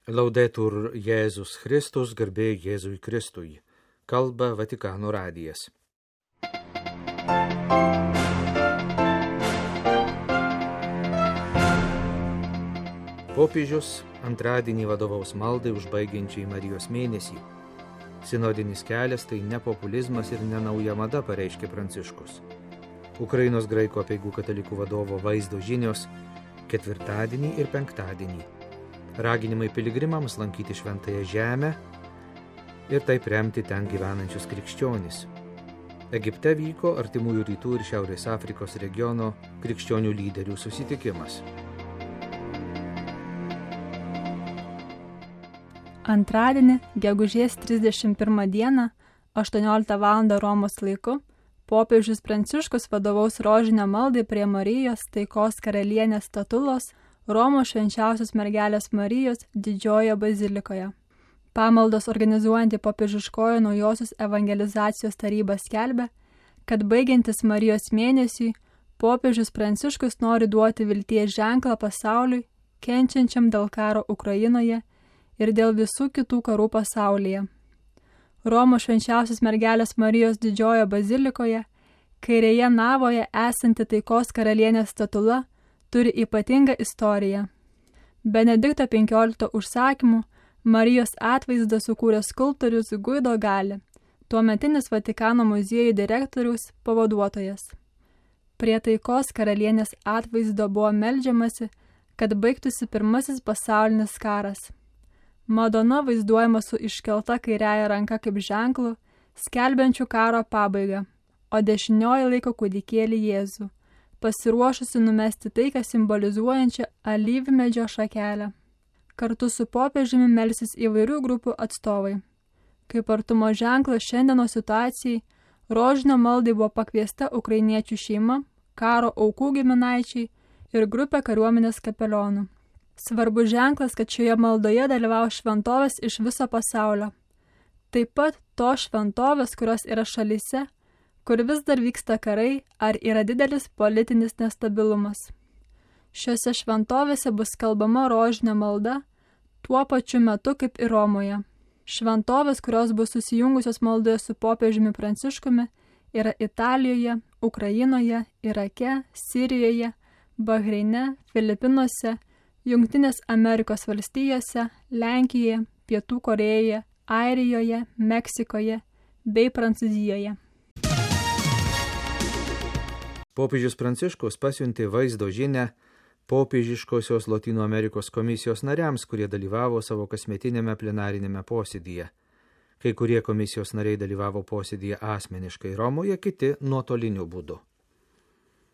Laudetur Jėzus Kristus, garbė Jėzui Kristui. Kalba Vatikano radijas. Popiežius antradienį vadovaus maldai užbaigiančiai Marijos mėnesį. Sinodinis kelias tai ne populizmas ir ne nauja mada, pareiškė Pranciškus. Ukrainos graikų apeigų katalikų vadovo vaizdo žinios ketvirtadienį ir penktadienį. Raginimai piligrimams lankyti šventąją žemę ir taip remti ten gyvenančius krikščionis. Egipte vyko Artimųjų rytų ir Šiaurės Afrikos regiono krikščionių lyderių susitikimas. Antradienį, gegužės 31 dieną, 18 val. Romos laiku, popiežius Pranciškus vadovaus rožinio maldai prie Marijos taikos karalienės statulos Romos švenčiausios mergelės Marijos didžiojoje bazilikoje. Pamaldos organizuojanti popiežiškojo naujosios evangelizacijos taryba skelbia, kad baigiantis Marijos mėnesiui, popiežius Pranciškus nori duoti vilties ženklą pasauliui, kenčiančiam dėl karo Ukrainoje ir dėl visų kitų karų pasaulyje. Romos švenčiausios mergelės Marijos didžiojoje bazilikoje, kairėje navoje esanti taikos karalienės statula, turi ypatingą istoriją. Benedikto XV užsakymu Marijos atvaizdą sukūrė skulptorius Guido Gali, tuometinis Vatikano muziejų direktoriaus pavaduotojas. Prie taikos karalienės atvaizdo buvo meldžiamasi, kad baigtųsi pirmasis pasaulinis karas. Madona vaizduojama su iškelta kairiaja ranka kaip ženklu, skelbiančiu karo pabaigą, o dešinioji laiko kūdikėlį Jėzų, pasiruošusi numesti taiką simbolizuojančią alyvmedžio šakelę. Kartu su popiežiumi melsis įvairių grupių atstovai. Kaip artumo ženklas šiandienos situacijai, rožinio maldai buvo pakviesta ukrainiečių šeima, karo aukų giminaičiai ir grupė kariuomenės kapelionų. Svarbus ženklas, kad šioje maldoje dalyvavo šventovės iš viso pasaulio. Taip pat tos šventovės, kurios yra šalyse, kur vis dar vyksta karai ar yra didelis politinis nestabilumas. Šiuose šventovėse bus kalbama rožinio malda tuo pačiu metu kaip ir Romoje. Šventovės, kurios bus susijungusios maldoje su popiežiumi Pranciškumi, yra Italijoje, Ukrainoje, Irake, Sirijoje, Bahreine, Filipinuose, Jungtinės Amerikos valstijose, Lenkijoje, Pietų Korėjoje, Airijoje, Meksikoje bei Prancūzijoje. Popiežius Pranciškus pasiuntė vaizdo žinią popiežiškosios Lotynų Amerikos komisijos nariams, kurie dalyvavo savo kasmetinėme plenarinėme posėdyje. Kai kurie komisijos nariai dalyvavo posėdyje asmeniškai Romoje, kiti nuotoliniu būdu.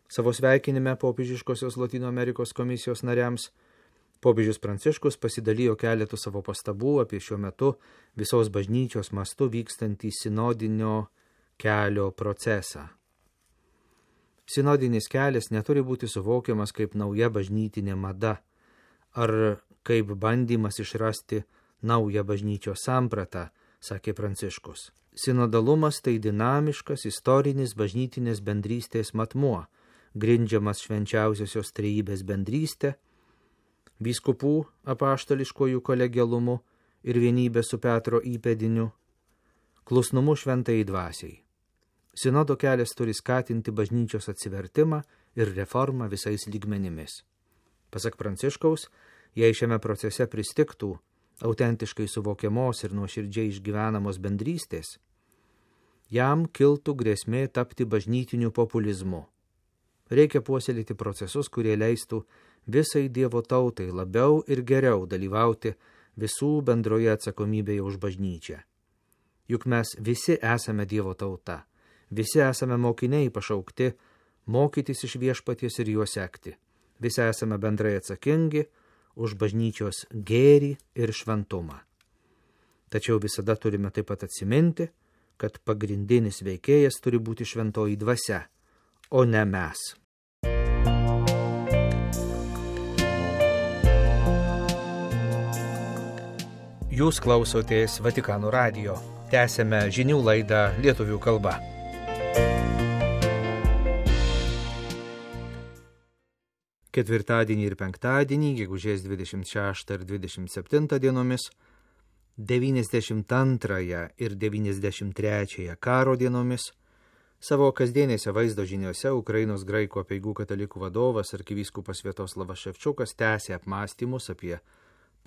Savo sveikinime popiežiškosios Lotynų Amerikos komisijos nariams popiežius Pranciškus pasidalijo keletų savo pastabų apie šiuo metu visos bažnyčios mastu vykstantį sinodinio kelio procesą. Sinodinis kelias neturi būti suvokiamas kaip nauja bažnytinė mada ar kaip bandymas išrasti naują bažnyčios sampratą, sakė Pranciškus. Sinodalumas tai dinamiškas istorinis bažnytinės bendrystės matmuo, grindžiamas švenčiausiosios trejybės bendrystė, vyskupų apaštališkojų kolegialumu ir vienybė su Petro įpėdiniu, klusnumu šventajai dvasiai. Sinodo kelias turi skatinti bažnyčios atsivertimą ir reformą visais lygmenimis. Pasak Pranciškaus, jei šiame procese pristigtų autentiškai suvokiamos ir nuoširdžiai išgyvenamos bendrystės, jam kiltų grėsmė tapti bažnytiniu populizmu. Reikia puoselėti procesus, kurie leistų visai Dievo tautai labiau ir geriau dalyvauti visų bendroje atsakomybėje už bažnyčią. Juk mes visi esame Dievo tauta, visi esame mokiniai pašaukti mokytis iš viešpaties ir juo sekti. Visi esame bendrai atsakingi už bažnyčios gėrį ir šventumą. Tačiau visada turime taip pat atsiminti, kad pagrindinis veikėjas turi būti šventoji dvasia, o ne mes. Jūs klausotės Vatikano radijo. Tęsėme žinių laidą lietuvių kalba. Ketvirtadienį ir penktadienį, gegužės 26 ir 27 dienomis, 92 ir 93 karo dienomis, savo kasdienėse vaizdo žiniuose Ukrainos graikų apeigų katalikų vadovas arkivyskupas Sviatoslavas Ševčiukas tęsė apmąstymus apie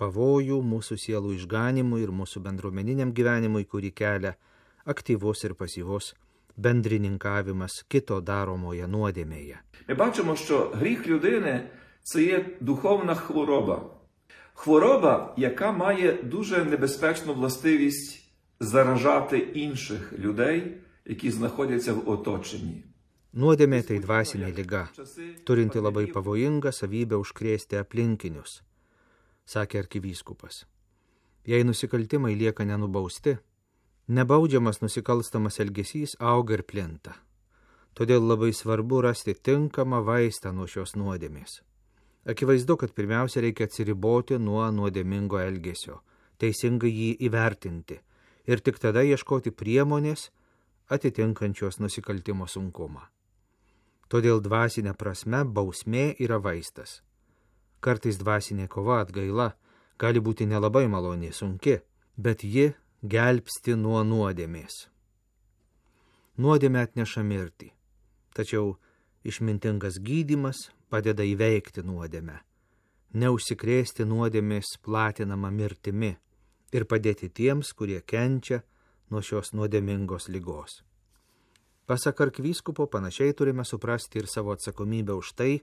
pavojų mūsų sielų išganimui ir mūsų bendruomeniniam gyvenimui, kurį kelia aktyvus ir pasyvus bendrininkavimas kito daromoje nuodėmėje. Ми бачимо, що гріх людини – це є духовна хвороба. Хвороба, яка має дуже небезпечну властивість заражати інших людей, які знаходяться в оточенні. Nuodėmė tai dvasinė liga, turinti labai pavojingą savybę užkrėsti aplinkinius, sakė arkivyskupas. Jei nusikaltimai lieka nenubausti, nebaudžiamas nusikalstamas elgesys auga ir plinta. Todėl labai svarbu rasti tinkamą vaistą nuo šios nuodėmės. Akivaizdu, kad pirmiausia reikia atsiriboti nuo nuodėmingo elgesio, teisingai jį įvertinti ir tik tada ieškoti priemonės atitinkančios nusikaltimo sunkumą. Todėl dvasinė prasme bausmė yra vaistas. Kartais dvasinė kova atgaila gali būti nelabai maloni, sunki, bet ji gelbsti nuo nuodėmės. Nuodėmė atneša mirtį, tačiau išmintingas gydymas padeda įveikti nuodėmę, neužsikrėsti nuodėmės platinamą mirtimi ir padėti tiems, kurie kenčia nuo šios nuodėmingos ligos. Pasak arkivyskupo, panašiai turime suprasti ir savo atsakomybę už tai,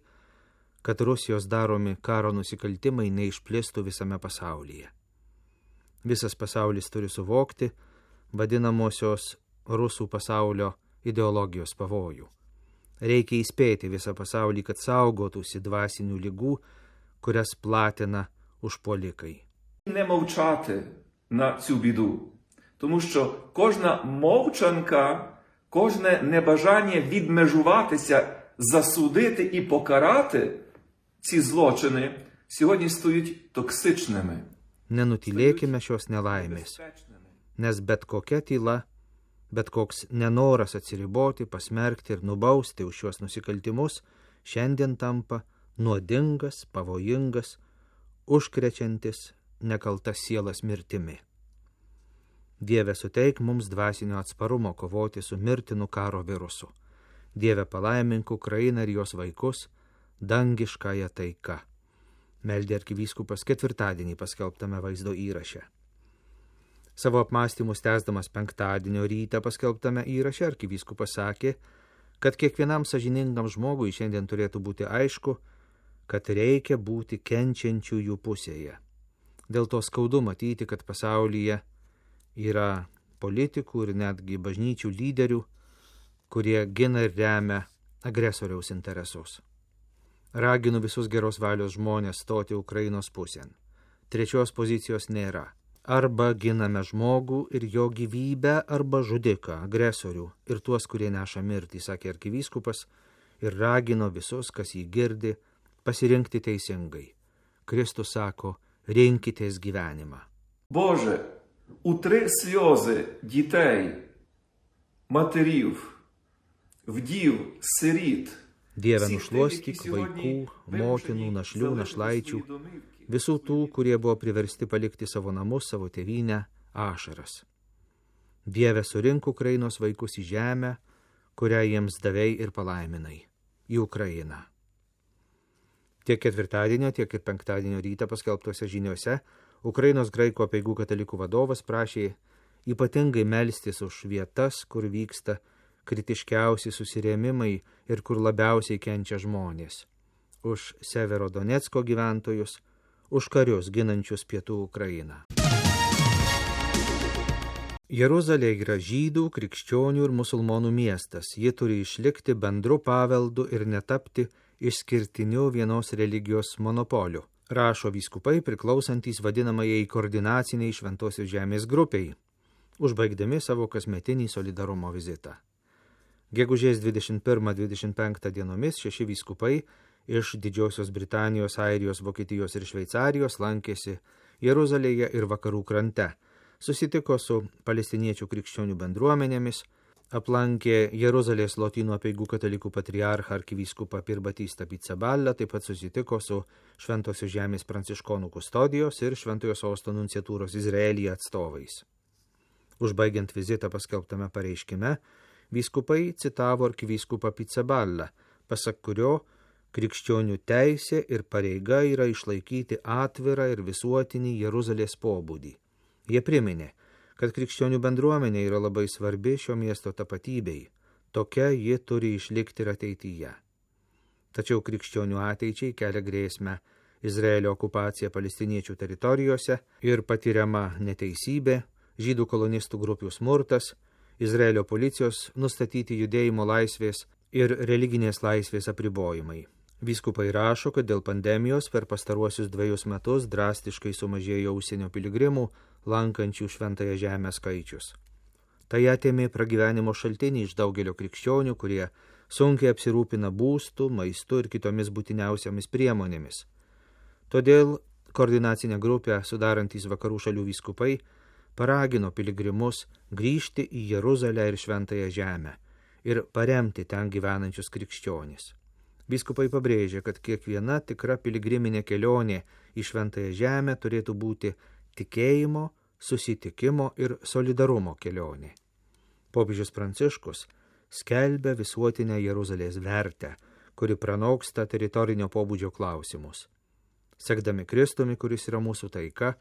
kad Rusijos daromi karo nusikaltimai neišplistų visame pasaulyje. Visas pasaulis turi suvokti vadinamosios rusų pasaulio ideologijos pavojų. Reikia įspėti visą pasaulį, kad saugotųsi dvasinių ligų, kurias platina užpuolikai. Не мовчати на цю біду, тому що кожна мовчанка, кожне небажання відмежуватися, засудити і покарати ці злочини сьогодні стають токсичними. Nenutylėkime šios nelaimės, nes bet kokia tyla, bet koks nenoras atsiriboti, pasmerkti ir nubausti už šios nusikaltimus šiandien tampa nuodingas, pavojingas, užkrečiantis nekaltas sielas mirtimi. Dieve, suteik mums dvasinio atsparumo kovoti su mirtinu karo virusu. Dieve, palaimink Ukrainą ir jos vaikus dangiškąją taiką. Meldė arkivyskupas ketvirtadienį paskelbtame vaizdo įraše. Savo apmąstymus tęsdamas penktadienio rytą paskelbtame įraše arkivyskupas sakė, kad kiekvienam sąžiningam žmogui šiandien turėtų būti aišku, kad reikia būti kenčiančiųjų pusėje. Dėl to skaudu matyti, kad pasaulyje yra politikų ir netgi bažnyčių lyderių, kurie gina ir remia agresoriaus interesus. Raginu visus geros valios žmonės stoti Ukrainos pusėn. Trečios pozicijos nėra. Arba giname žmogų ir jo gyvybę, arba žudiką, agresorių ir tuos, kurie neša mirtį, sakė arkivyskupas, ir ragino visus, kas jį girdi, pasirinkti teisingai. Kristus sako, rinkitės gyvenimą. Боже, утри сльози дітей, матерів, вдів, сиріт. Dieve, nušluostyk vaikų, motinų, našlių, našlaičių, visų tų, kurie buvo priversti palikti savo namus, savo tėvynę, ašaras. Dieve, surink Ukrainos vaikus į žemę, kurią jiems davei ir palaiminai, į Ukrainą. Tiek ketvirtadienio, tiek ir penktadienio rytą paskelbtose žiniuose Ukrainos graikų apeigų katalikų vadovas prašė ypatingai melstis už vietas, kur vyksta kritiškiausi susirėmimai ir kur labiausiai kenčia žmonės, už Severodonecko gyventojus, už karius ginančius pietų Ukrainą. Jeruzalė yra žydų, krikščionių ir musulmonų miestas. Ji turi išlikti bendru paveldu ir netapti išskirtiniu vienos religijos monopoliu, rašo vyskupai priklausantys vadinamajai koordinaciniai šventosios žemės grupiai, užbaigdami savo kasmetinį solidarumo vizitą. Gegužės 21-25 dienomis 6 vyskupai iš Didžiosios Britanijos, Airijos, Vokietijos ir Šveicarijos lankėsi Jeruzalėje ir vakarų krante, susitiko su palestiniečių krikščionių bendruomenėmis, aplankė Jeruzalės Lotynų apeigų katalikų patriarchą arkivyskupą Pirbatystą Pizzaballą, taip pat susitiko su Šventosios žemės pranciškonų kustodijos ir Šventojo sosto nunciatūros Izraelyje atstovais. Užbaigiant vizitą paskelbtame pareiškime, vyskupai citavo arkivyskupą Pizzaballą, pasak kurio krikščionių teisė ir pareiga yra išlaikyti atvirą ir visuotinį Jeruzalės pobūdį. Jie priminė, kad krikščionių bendruomenė yra labai svarbi šio miesto tapatybei, tokia ji turi išlikti ir ateityje. Tačiau krikščionių ateičiai kelia grėsmę Izraelio okupacija palestiniečių teritorijose ir patiriama neteisybė, žydų kolonistų grupių smurtas, Izraelio policijos nustatyti judėjimo laisvės ir religinės laisvės apribojimai. Vyskupai rašo, kad dėl pandemijos per pastaruosius 2 metus drastiškai sumažėjo užsienio piligrimų lankančių Šventąją žemę skaičius. Tai atėmė pragyvenimo šaltinį iš daugelio krikščionių, kurie sunkiai apsirūpina būstų, maistu ir kitomis būtiniausiamis priemonėmis. Todėl koordinacinė grupė, sudarantys vakarų šalių vyskupai, paragino piligrimus grįžti į Jeruzalę ir Šventąją žemę ir paremti ten gyvenančius krikščionis. Vyskupai pabrėžė, kad kiekviena tikra piligriminė kelionė į Šventąją žemę turėtų būti tikėjimo, susitikimo ir solidarumo kelionė. Popiežius Pranciškus skelbia visuotinę Jeruzalės vertę, kuri pranoksta teritorinio pobūdžio klausimus. Sekdami Kristumi, kuris yra mūsų taika,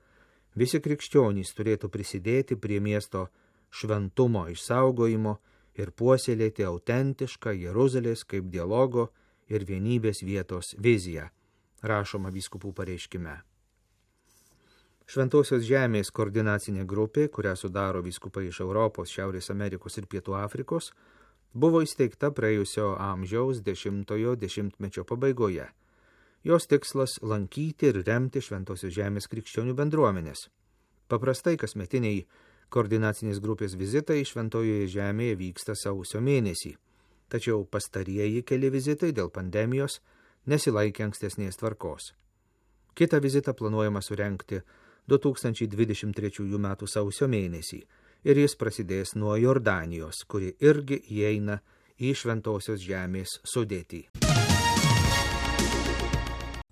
visi krikščionys turėtų prisidėti prie miesto šventumo išsaugojimo ir puoselėti autentišką Jeruzalės kaip dialogo ir vienybės vietos viziją, rašoma vyskupų pareiškime. Šventosios žemės koordinacinė grupė, kurią sudaro vyskupai iš Europos, Šiaurės Amerikos ir Pietų Afrikos, buvo įsteigta praėjusio amžiaus 10-ojo dešimtmečio pabaigoje. Jos tikslas lankyti ir remti Šventosios žemės krikščionių bendruomenės. Paprastai kasmetiniai koordinacinės grupės vizitai Šventojoje žemėje vyksta sausio mėnesį, tačiau pastarieji keli vizitai dėl pandemijos nesilaikė ankstesnės tvarkos. Kitą vizitą planuojama surengti 2023 m. sausio mėnesį ir jis prasidės nuo Jordanijos, kuri irgi įeina į Šventosios žemės sudėtį.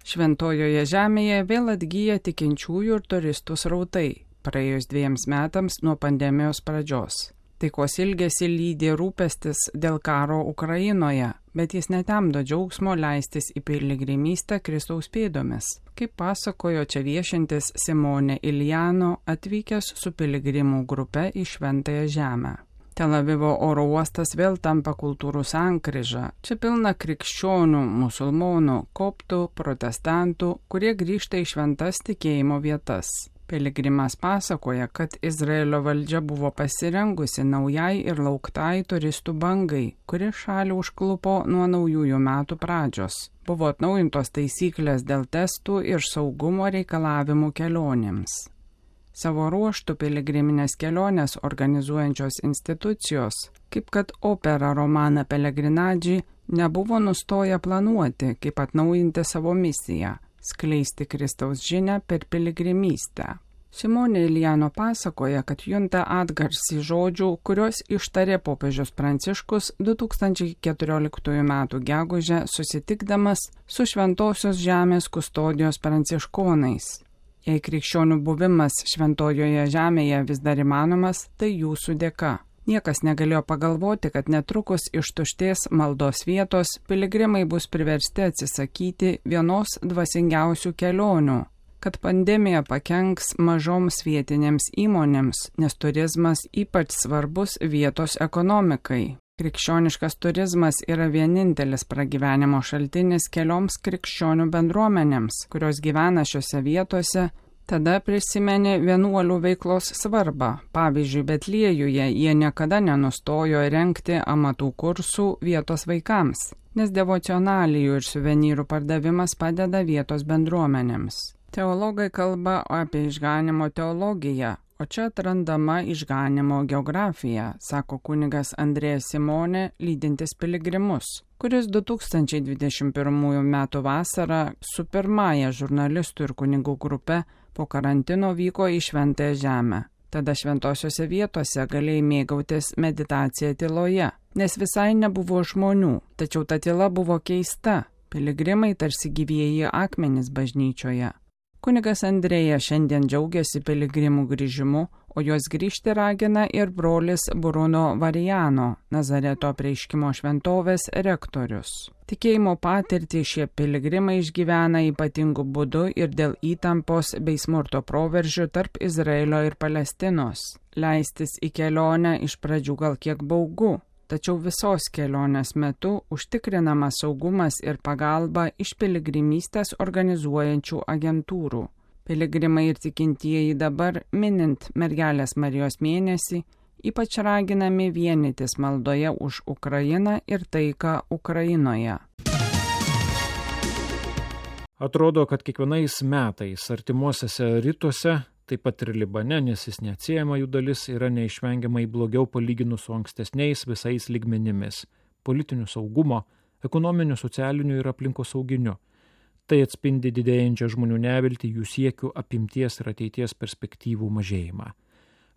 Šventojoje žemėje vėl atgyja tikinčiųjų ir turistų srautai, praėjus 2 metams nuo pandemijos pradžios. Taikos ilgesi lydi rūpestis dėl karo Ukrainoje, bet jis netemdo džiaugsmo leistis į piligrimystę Kristaus pėdomis, kaip pasakojo čia viešintis Simone Iljano, atvykęs su piligrimų grupe į Šventąją žemę. Tel Avivo oro uostas vėl tampa kultūrų sankryža. Čia pilna krikščionių, musulmonų, koptų, protestantų, kurie grįžta į šventas tikėjimo vietas. Piligrimas pasakoja, kad Izraelio valdžia buvo pasirengusi naujai ir lauktai turistų bangai, kuri šalį užklupo nuo naujųjų metų pradžios. Buvo atnaujintos taisyklės dėl testų ir saugumo reikalavimų kelionėms. Savo ruoštų piligriminės kelionės organizuojančios institucijos, kaip kad Opera Romana Pellegrinaggi, nebuvo nustoję planuoti, kaip atnaujinti savo misiją – skleisti Kristaus žinią per piligrimystę. Simone Iljano pasakoja, kad junta atgarsį žodžių, kurios ištarė popiežius Pranciškus 2014 m. gegužę susitikdamas su Šventosios žemės kustodijos pranciškonais. Jei krikščionių buvimas Šventojoje žemėje vis dar įmanomas, tai jūsų dėka. Niekas negalėjo pagalvoti, kad netrukus ištuštės maldos vietos piligrimai bus priversti atsisakyti vienos dvasingiausių kelionių, kad pandemija pakenks mažoms vietinėms įmonėms, nes turizmas ypač svarbus vietos ekonomikai. Krikščioniškas turizmas yra vienintelis pragyvenimo šaltinis kelioms krikščionių bendruomenėms, kurios gyvena šiose vietose. Tada prisimenė vienuolių veiklos svarbą. Pavyzdžiui, Betliejuje jie niekada nenustojo rengti amatų kursų vietos vaikams, nes devocionalijų ir suvenyrų pardavimas padeda vietos bendruomenėms. Teologai kalba apie išganimo teologiją, o čia atrandama išganimo geografija, sako kunigas Andrėjas Simone, lydintis piligrimus, kuris 2021 m. vasarą su pirmąja žurnalistų ir kunigų grupe po karantino vyko į Šventąją žemę. Tada šventosiuose vietose galėjai mėgautis meditaciją tyloje, nes visai nebuvo žmonių, tačiau ta tyla buvo keista, piligrimai tarsi gyvieji akmenys bažnyčioje. Kunigas Andrėja šiandien džiaugiasi piligrimų grįžimu, o juos grįžti ragina ir brolis Bruno Varijano, Nazareto apreiškimo šventovės rektorius. Tikėjimo patirtį šie piligrimai išgyvena ypatingu būdu ir dėl įtampos bei smurto proveržių tarp Izraelio ir Palestinos. Leistis į kelionę iš pradžių gal kiek baugu, tačiau visos kelionės metu užtikrinama saugumas ir pagalba iš piligrimystės organizuojančių agentūrų. Piligrimai ir tikintieji dabar, minint Mergelės Marijos mėnesį, ypač raginami vienytis maldoje už Ukrainą ir taiką Ukrainoje. Atrodo, kad kiekvienais metais artimuosiuose rytuose, taip pat ir Libane, nes jis neatsiejama jų dalis, yra neišvengiamai blogiau palyginus su ankstesniais visais lygmenimis – politiniu saugumo, ekonominiu, socialiniu ir aplinkosauginiu. Tai atspindi didėjančią žmonių neviltį, jų siekių, apimties ir ateities perspektyvų mažėjimą.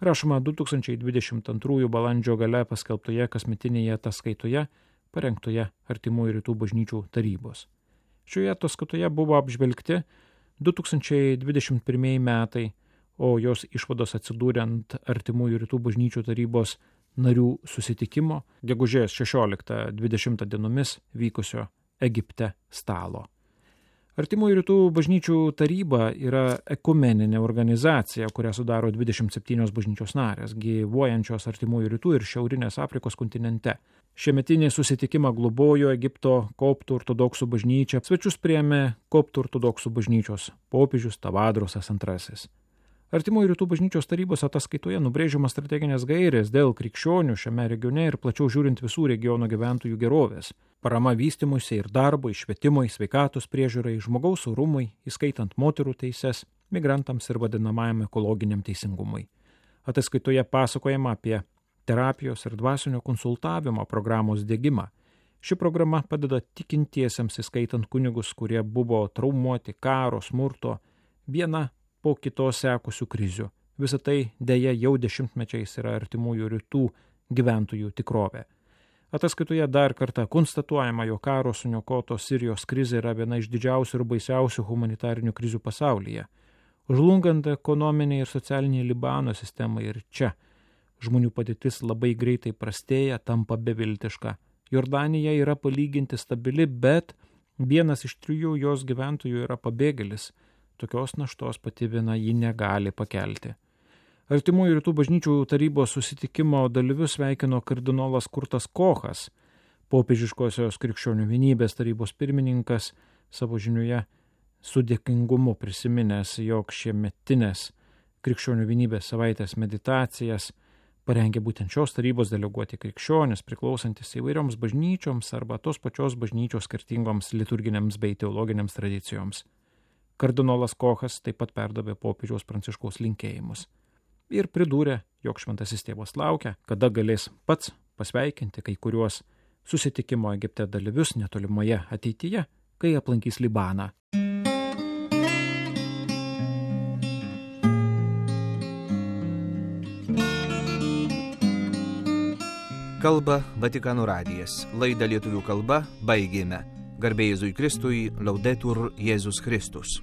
Rašoma 2022 balandžio gale paskelbtoje kasmetinėje ataskaitoje, parengtoje Artimųjų rytų bažnyčių tarybos. Šioje ataskaitoje buvo apžvelgti 2021 metai, o jos išvados atsidūrė ant Artimųjų rytų bažnyčių tarybos narių susitikimo gegužės 16-20 dienomis vykusio Egipte stalo. Artimųjų rytų bažnyčių taryba yra ekumeninė organizacija, kurią sudaro 27 bažnyčios narės, gyvuojančios Artimųjų rytų ir Šiaurinės Afrikos kontinente. Šiemetinį susitikimą globojo Egipto koptų ortodoksų bažnyčia, svečius priėmė koptų ortodoksų bažnyčios popiežius Tavadrosas II. Artimųjų rytų bažnyčios tarybos ataskaitoje nubrėžiamas strateginės gairės dėl krikščionių šiame regione ir plačiau žiūrint visų regiono gyventojų gerovės. Parama vystymuisi ir darbui, švietimui, sveikatos priežiūrai, žmogaus orumui, įskaitant moterų teises, migrantams ir vadinamajam ekologiniam teisingumui. Ataskaitoje pasakojama apie terapijos ir dvasinio konsultavimo programos diegimą. Ši programa padeda tikintiesiems, įskaitant kunigus, kurie buvo traumuoti karo, smurto, viena po kitos sekusių krizių. Visą tai dėja jau dešimtmečiais yra Artimųjų rytų gyventojų tikrovė. Ataskaitoje dar kartą konstatuojama, jog karo suniokotos Sirijos krizė yra viena iš didžiausių ir baisiausių humanitarinių krizių pasaulyje. Žlungant ekonominiai ir socialiniai Libano sistemai ir čia, žmonių padėtis labai greitai prastėja, tampa beviltiška. Jordanija yra palyginti stabili, bet 1 iš 3 jos gyventojų yra pabėgėlis. Tokios naštos pati viena ji negali pakelti. Artimųjų rytų bažnyčių tarybos susitikimo dalyvius sveikino kardinolas Kurtas Kochas, popiežiškosios krikščionių vienybės tarybos pirmininkas, savo žiniuje su dėkingumu prisiminęs, jog šiemetinės krikščionių vienybės savaitės meditacijas parengė būtent šios tarybos deleguoti krikščionis, priklausantis įvairioms bažnyčioms arba tos pačios bažnyčios skirtingoms liturginėms bei teologinėms tradicijoms. Kardinolas Kochas taip pat perdavė popiežiaus Pranciškaus linkėjimus. Ir pridūrė, jog šventasis tėvas laukia, kada galės pats pasveikinti kai kuriuos susitikimo Egipte dalyvius netolimoje ateityje, kai aplankys Libaną. Kalba Vatikano radijas. Laidą lietuvių kalba baigėme. Garbė Jėzui Kristui, Laudetur Jėzus Kristus.